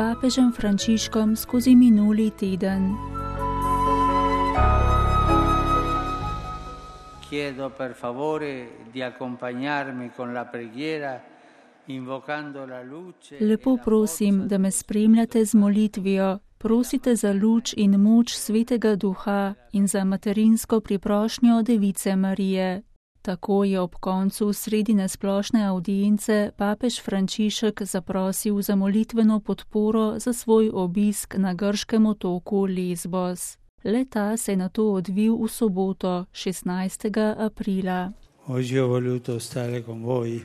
papežem Frančiškom skozi minuli teden. Chiedo per favore di accompagnarmi con la preghiera invocando la luce. Lepo prosim, da me spremljate z molitvijo. Prosite za luč in moč Svetega Duha in za materinsko priprošnjo Device Marije. Tako je ob koncu sredine splošne avdience papež Frančišek zaprosil za molitveno podporo za svoj obisk na grškem otoku Lesbos. Le-ta se je nato odvil v soboto, 16. aprila. Oggi ho voluto stare con voi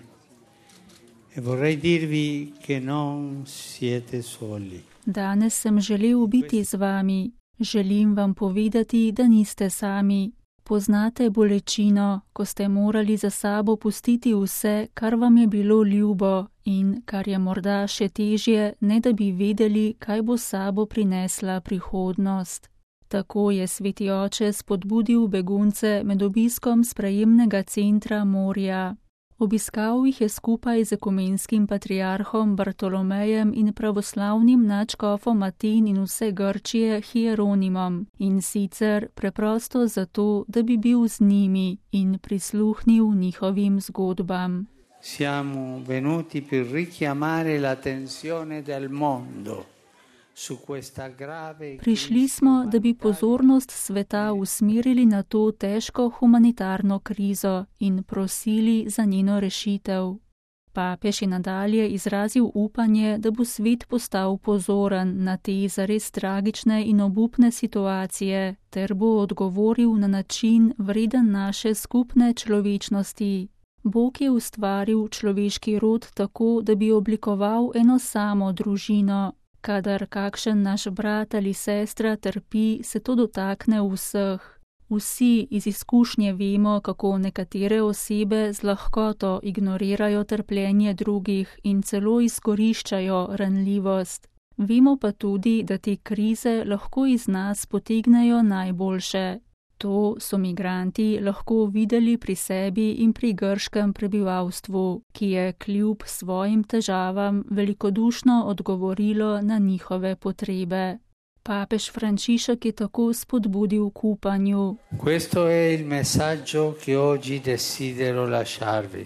e vorrei dirvi che non siete soli. Danes sem želel biti z vami. Želim vam povedati, da niste sami. Poznate bolečino, ko ste morali za sabo pustiti vse, kar vam je bilo ljubo in kar je morda še težje, ne da bi vedeli, kaj bo sabo prinesla prihodnost. Tako je Sveti Oče spodbudil begunce med obiskom sprejemnega centra Morja. Obiskal jih je skupaj z ekumenskim patriarhom Bartolomejem in pravoslavnim nadškofom Aten in vse Grčije Hieronimom, in sicer preprosto zato, da bi bil z njimi in prisluhnil njihovim zgodbam. Siamo venuti per richiamare l'attenzione del mondo. Prišli smo, da bi pozornost sveta usmerili na to težko humanitarno krizo in prosili za njeno rešitev. Papež je nadalje izrazil upanje, da bo svet postal pozoren na te zares tragične in obupne situacije, ter bo odgovoril na način vreden naše skupne človečnosti. Bog je ustvaril človeški rod tako, da bi oblikoval eno samo družino. Kadar kakšen naš brat ali sestra trpi, se to dotakne vseh. Vsi iz izkušnje vemo, kako nekatere osebe z lahkoto ignorirajo trpljenje drugih in celo izkoriščajo ranljivost. Vemo pa tudi, da te krize lahko iz nas potegnejo najboljše. To so migranti lahko videli pri sebi in pri grškem prebivalstvu, ki je kljub svojim težavam velikodušno odgovorilo na njihove potrebe. Papež Frančišek je tako spodbudil k upanju. Questo è il messaggio che oggi desidero lasciarvi.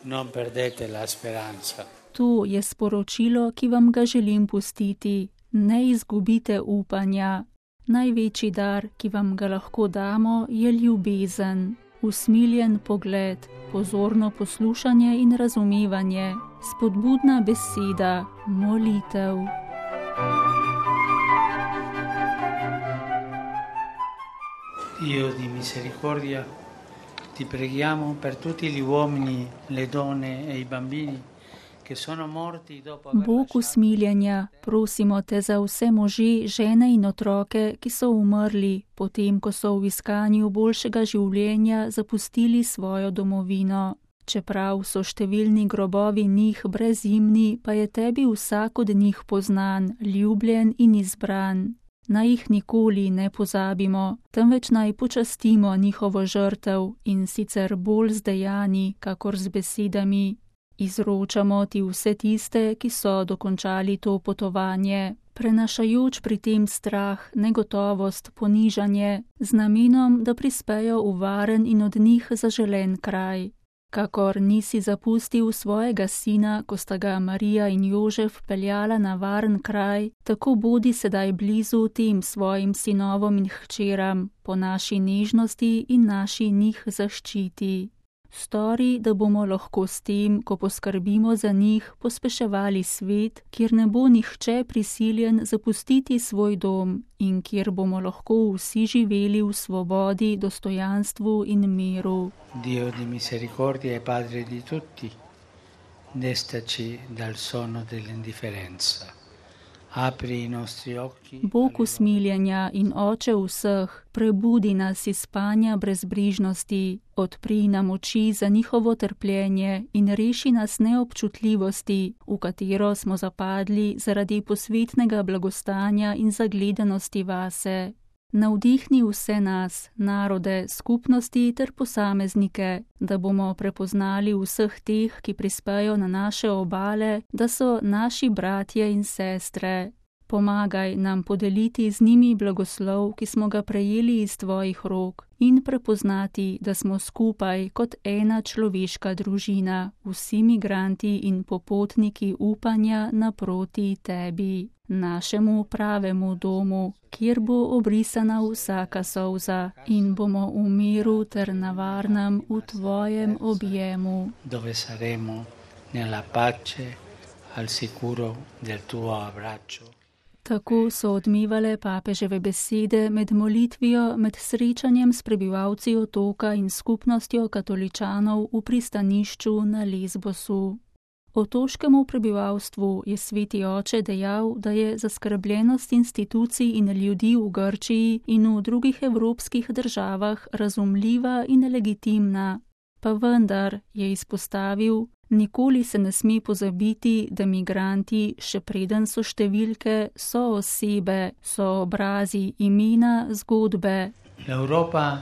Non perdete la speranza. To je sporočilo, ki vam ga želim pustiti. Ne izgubite upanja. Največji dar, ki vam ga lahko damo, je ljubezen, usmiljen pogled, pozorno poslušanje in razumevanje, spodbudna beseda, molitev. Dio di misericordia, ti preghiamo per tutti gli uomini, le donne e i bambini. Bog usmiljenja, prosimo te za vse može, žene in otroke, ki so umrli, potem ko so v iskanju boljšega življenja zapustili svojo domovino. Čeprav so številni grobovi njih brezimni, pa je tebi vsak od njih poznan, ljubljen in izbran. Naj jih nikoli ne pozabimo, temveč naj počastimo njihovo žrtev in sicer bolj z dejanji, kakor z besedami. Izročamo ti vse tiste, ki so dokončali to potovanje, prenašajoč pri tem strah, negotovost, ponižanje, z namenom, da prispejo v varen in od njih zaželen kraj. Kakor nisi zapustil svojega sina, ko sta ga Marija in Jožef peljala na varen kraj, tako bodi sedaj blizu tem svojim sinovom in hčeram, po naši nežnosti in naši njih zaščiti. Stori, da bomo lahko s tem, ko poskrbimo za njih, pospeševali svet, kjer ne bo nihče prisiljen zapustiti svoj dom in kjer bomo lahko vsi živeli v svobodi, dostojanstvu in miru. Dio di misericordia e Padre di tutti, destaci dal sonno dell'indifferenza. Bog usmiljenja in Oče vseh, prebudi nas iz spanja brezbrižnosti, odpri nam oči za njihovo trpljenje in reši nas neobčutljivosti, v katero smo zapadli zaradi posvetnega blagostanja in zagledanosti vase. navdihni vse nas, narode, skupnosti ter posameznike, da bomo prepoznali vseh teh, ki prispejo na naše obale, da so naši bratje in sestre. Pomagaj nam podeliti z njimi blagoslov, ki smo ga prejeli iz tvojih rok, in prepoznati, da smo skupaj kot ena človeška družina, vsi migranti in popotniki upanja naproti tebi, našemu pravemu domu, kjer bo obrisana vsaka solza in bomo v miru ter na varnem v tvojem objemu. Dove saremo nella pace al sicuro del tuo abbraccio. Tako so odmevale papeževe besede med molitvijo, med srečanjem s prebivalci otoka in skupnostjo katoličanov v pristanišču na Lesbosu. Otoškemu prebivalstvu je sveti oče dejal, da je zaskrbljenost institucij in ljudi v Grčiji in v drugih evropskih državah razumljiva in legitimna. Pa vendar, je izpostavil, nikoli se ne sme pozabiti, da migranti, še preden so številke, so osebe, so obrazi, imena, zgodbe. L'Europa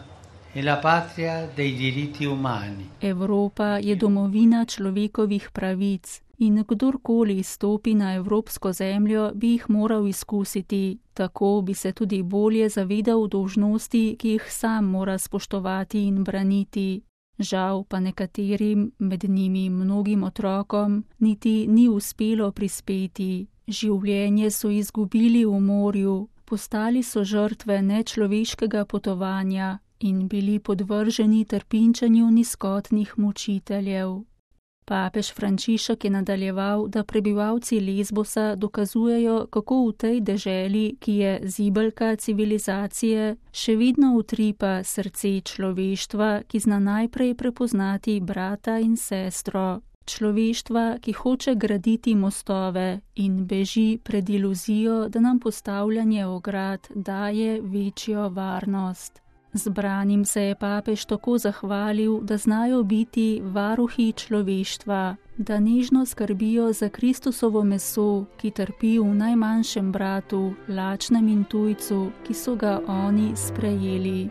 è la patria dei diritti umani. Evropa je domovina človekovih pravic in kdorkoli stopi na evropsko zemljo, bi jih moral izkusiti. Tako bi se tudi bolje zavedal dolžnosti, ki jih sam mora spoštovati in braniti. Žal pa nekaterim, med njimi mnogim otrokom, niti ni uspelo prispeti. Življenje so izgubili v morju, postali so žrtve nečloveškega potovanja in bili podvrženi trpinčenju nizkotnih mučiteljev. Papež Frančišek je nadaljeval, da prebivalci Lesbosa dokazujejo, kako v tej deželi, ki je zibelka civilizacije, še vedno utripa srce človeštva, ki zna najprej prepoznati brata in sestro. Človeštva, ki hoče graditi mostove in beži pred iluzijo, da nam postavljanje ograd daje večjo varnost. Zbranim se je papež tako zahvalil, da znajo biti varuhi človeštva, da nežno skrbijo za Kristusovo meso, ki trpi v najmanjšem bratu, lačnem in tujcu, ki so ga oni sprejeli.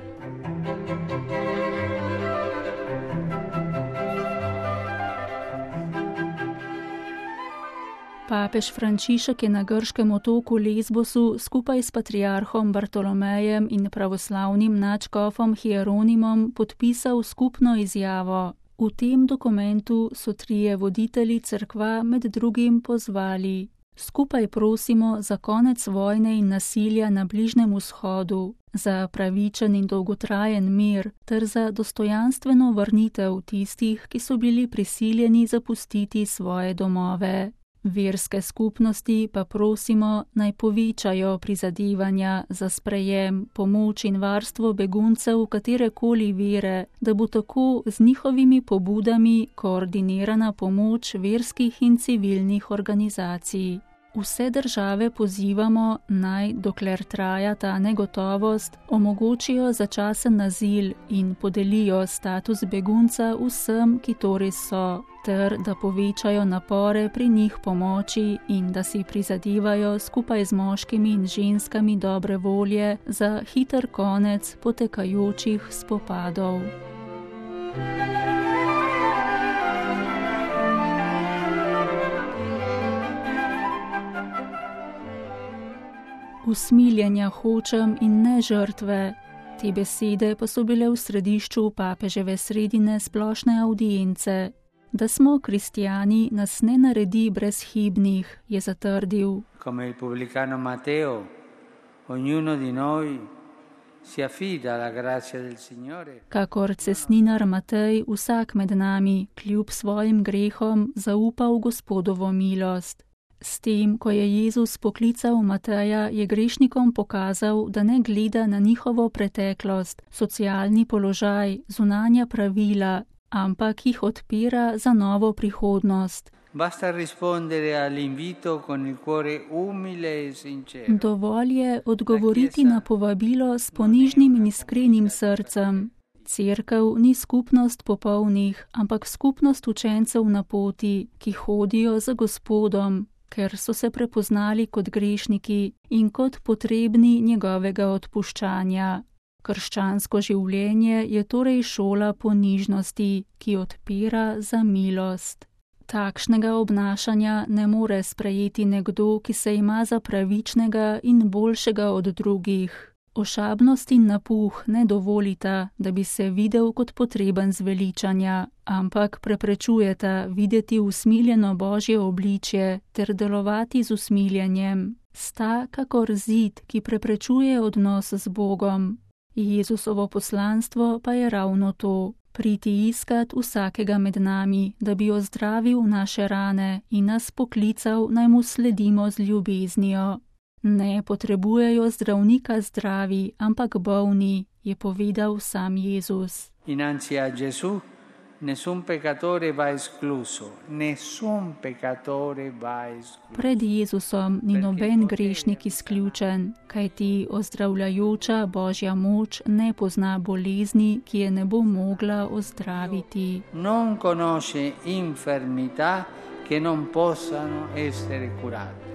Papež Frančišek je na grškem otoku Lesbosu skupaj s patriarhom Bartolomejem in pravoslavnim nadškofom Hieronimom podpisal skupno izjavo. V tem dokumentu so trije voditelji cerkva med drugim pozvali: skupaj prosimo za konec vojne in nasilja na Bližnjem vzhodu, za pravičen in dolgotrajen mir ter za dostojanstveno vrnitev tistih, ki so bili prisiljeni zapustiti svoje domove. Verske skupnosti pa prosimo, naj povečajo prizadevanja za sprejem, pomoč in varstvo beguncev katerekoli vere, da bo tako z njihovimi pobudami koordinirana pomoč verskih in civilnih organizacij. Vse države pozivamo, naj, dokler traja ta negotovost, omogočijo začasen azil in podelijo status begunca vsem, ki to res so, ter da povečajo napore pri njih pomoči in da si prizadevajo skupaj z moškimi in ženskami dobre volje za hiter konec potekajočih spopadov. Usmiljenja hočem in ne žrtve. Te besede pa so bile v središču papeževe sredine splošne audience. Da smo kristijani, nas ne naredi brezhibnih, je zatrdil. Come il pubblicano Matteo, ognuno di noi si affida alla grazia del Signore. Kakor cestninar Matej, vsak med nami, kljub svojim grehom, zaupa v Gospodovo milost. S tem, ko je Jezus poklical Mateja, je grešnikom pokazal, da ne gleda na njihovo preteklost, socialni položaj, zunanja pravila, ampak jih odpira za novo prihodnost. Basta rispondere all'invito con il cuore umile e sincero. Dovolj je odgovoriti na povabilo s ponižnim in iskrenim srcem. Cerkev ni skupnost popolnih, ampak skupnost učencev na poti, ki hodijo za Gospodom. ker so se prepoznali kot grešniki in kot potrebni njegovega odpuščanja. Krščansko življenje je torej šola ponižnosti, ki odpira za milost. Takšnega obnašanja ne more sprejeti nekdo, ki se ima za pravičnega in boljšega od drugih. Ošabnost in napuh ne dovolita, da bi se videl kot potreben zveličanja, ampak preprečujeta videti usmiljeno Božje obličje ter delovati z usmiljenjem. Sta kakor zid, ki preprečuje odnos z Bogom. Jezusovo poslanstvo pa je ravno to. Priti iskat vsakega med nami, da bi ozdravil naše rane in nas poklical, naj mu sledimo z ljubeznijo. Ne potrebujejo zdravnika zdravi, ampak bolni, je povedal sam Jezus. Innanzi a Gesù nessun peccatore va escluso, nessun peccatore va escluso. Pred Jezusom ni noben grešnik izključen, kajti ozdravljajoča Božja moč ne pozna bolezni, ki je ne bo mogla ozdraviti. Non conosce infermità che non possano essere curate.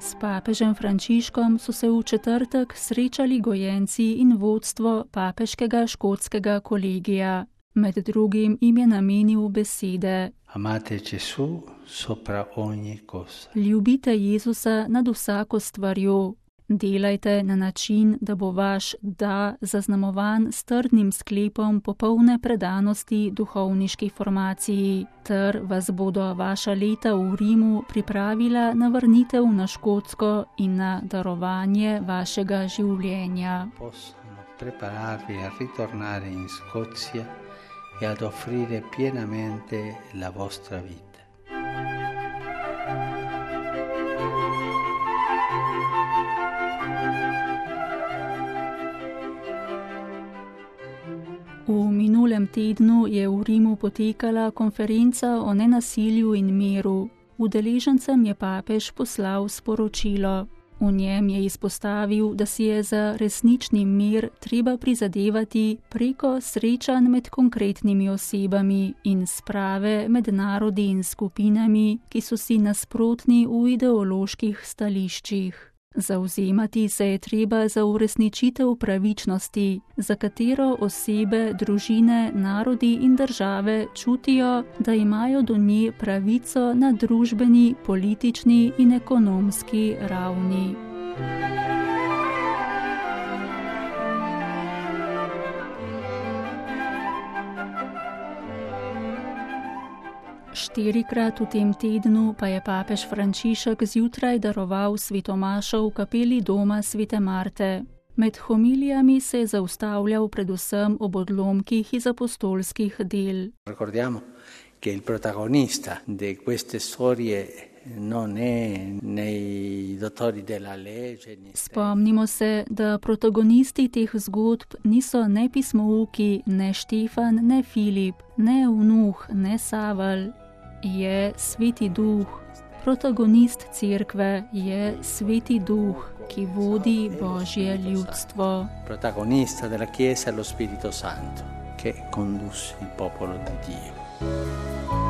S papežem Frančiškom so se v četrtek srečali gojenci in vodstvo papeškega škotskega kolegija. Med drugim jim je namenil besede: Amate Gesù sopra ogni cosa. Ljubite Jezusa nad vsako stvarjo. Delajte na način, da bo vaš da zaznamovan s trdnim sklepom popolne predanosti duhovniški formaciji, ter vas bodo vaša leta v Rimu pripravila na vrnitev na Škotsko in na darovanje vašega življenja. Possono prepararvi a ritornare in Scozia e ad offrire pienamente la vostra vita. V minulem tednu je v Rimu potekala konferenca o nenasilju in miru. Udeležencem je papež poslal sporočilo. V njem je izpostavil, da si je za resnični mir treba prizadevati preko srečanj med konkretnimi osebami in sprave med narodi in skupinami, ki so si nasprotni v ideoloških stališčih. Zavzemati se je treba za uresničitev pravičnosti, za katero osebe, družine, narodi in države čutijo, da imajo do nje pravico na družbeni, politični in ekonomski ravni. Štirikrat v tem tednu pa je papež Frančišek zjutraj daroval svetomašo v kapeli doma Svete Marte. Med homilijami se je zaustavljal predvsem ob odlomkih iz apostolskih del. Ricordiamo che il protagonista di queste storie non è nei dottori della legge. Spomnimo se, da protagonisti teh zgodb niso ne pismouki, ne Štefan, ne Filip, ne Vnuh, ne Savel. Je Sveti Duh. Protagonist cerkve je Sveti Duh, ki vodi Božje ljudstvo. Protagonista della Chiesa è lo Spirito Santo, che conduce il popolo di Dio.